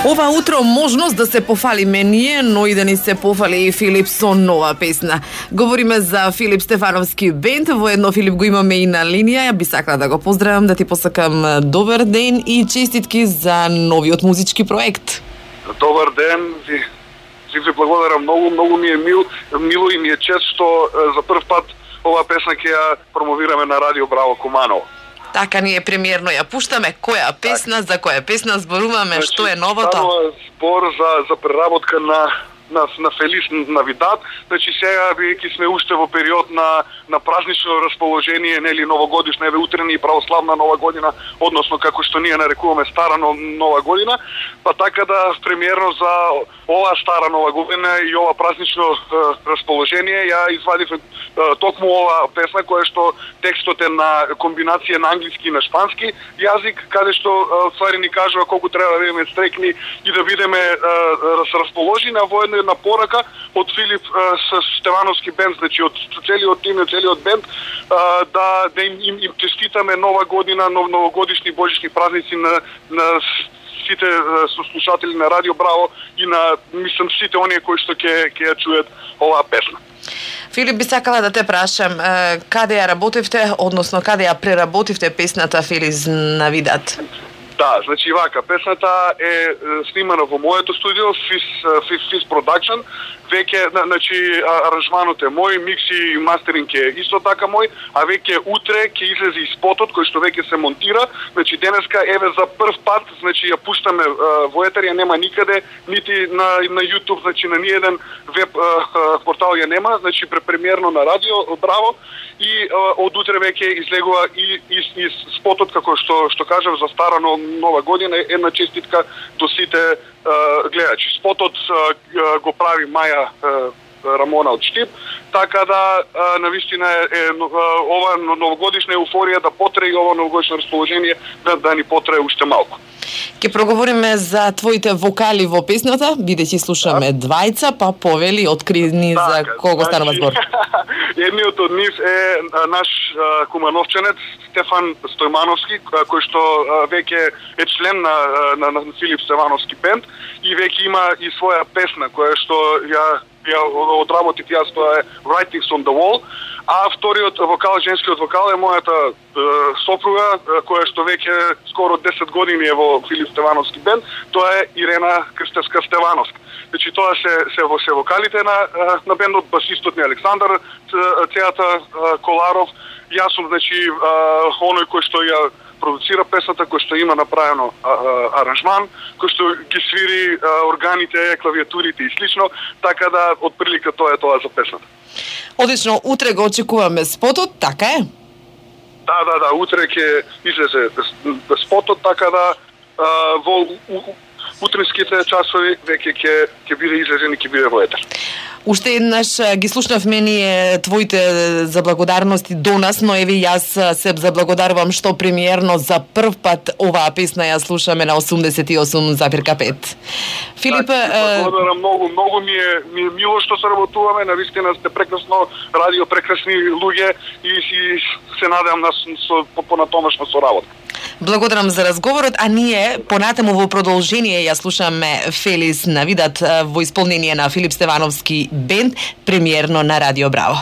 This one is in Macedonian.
Ова утро можност да се пофалиме ние, но и да ни се пофали и Филип со нова песна. Говориме за Филип Стефановски бенд, воедно Филип го имаме и на линија. Ја би сакала да го поздравам, да ти посакам добар ден и честитки за новиот музички проект. Добар ден, ви благодарам многу ми е мило и ми е чест што за прв пат оваа песна ќе ја промовираме на Радио Браво Куманово. Така, ние премиерно ја пуштаме. Која песна, за која песна зборуваме, што е новото? Станува збор за преработка на Фелис Навидад. Значи сега бидејќи сме уште во период на празнично расположение, нели новогодишна, еве утре ни православна нова година, односно како што ние нарекуваме стара нова година, па така да премиерно за оваа стара нова година и ова празнично расположение ја извадив токму оваа песна која што текстот е на комбинација на англиски и на шпански јазик, каде што ствари ни кажува колку треба да бидеме стрекни и да бидеме расположени, а воедно една порака од Филип Стефановски бенд, значи од целиот тим, од целиот бенд, да им честитаме нова година, новогодишни божични празници на сите слушатели на Радио Браво и на, мислам, сите оние кои што ќе ја чујат оваа песна. Филип, би сакала да те прашам, каде ја работевте, односно каде ја преработивте песната Фелис Навидад? Да, значи вака, песната е снимана во моето студио, Fizz Production. Веќе, значи, аранжманот е мој, микси и мастеринг е исто така мој, а веќе утре ќе излезе и спотот кој што веќе се монтира. Значи денеска еве за прв пат, значи ја пуштаме во етер, ја нема никаде, нити на YouTube, значи на ниеден веб портал ја нема, значи препремиерно на Радио Браво и од утре веќе излегува и спотот како што кажав за стара нова година, една честитка до сите гледачи. Спотот го прави Маја Рамона од Штип, така да навистина е ова новогодишна еуфорија да потрае и ова новогодишно расположение да ни потрае уште малку. Ке проговориме за твоите вокали во песната, бидејќи слушаме двајца, па повели, открини за кого станува збор. Едниот од нив е наш кумановченец Стефан Стојмановски, кој што веќе е член на Филип Стефановски бенд и веќе има и своја песна која што ја одработив јас, тоа е Writings on the Wall, а вториот вокал, женскиот вокал е мојата сопруга, која што веќе скоро 10 години е во Филип Стефановски бенд, тоа е Ирена Крстевска Стефановска. Значи тоа се вокалите на бендот, басистот ни Александар Цејата Коларов, јас сум, значи, оној кој што ја продуцира песната, кој што има направено аранжман, кој што ги свири органите, клавиатурите и слично, така да отприлика тоа е тоа за песната. Одлично, утре го очекуваме спотот, така е? Да, утре ќе излезе спотот, така да во утринските часови веќе ќе биде излезен и ќе биде во етер. Уште еднаш ги слушнавме ние твоите заблагодарности до нас, но еве јас се заблагодарувам што премиерно за прв пат оваа песна ја слушаме на 88,5. Филип, благодарам многу ми е мило што се работуваме, навистина сте прекрасно радио, прекрасни луѓе и се надевам на понатомашна соработка. Благодарам за разговорот, а ние понатаму во продолжение ја слушаме Фелис Навидад во исполнение на Филип Стефановски бенд, премиерно на Радио Браво.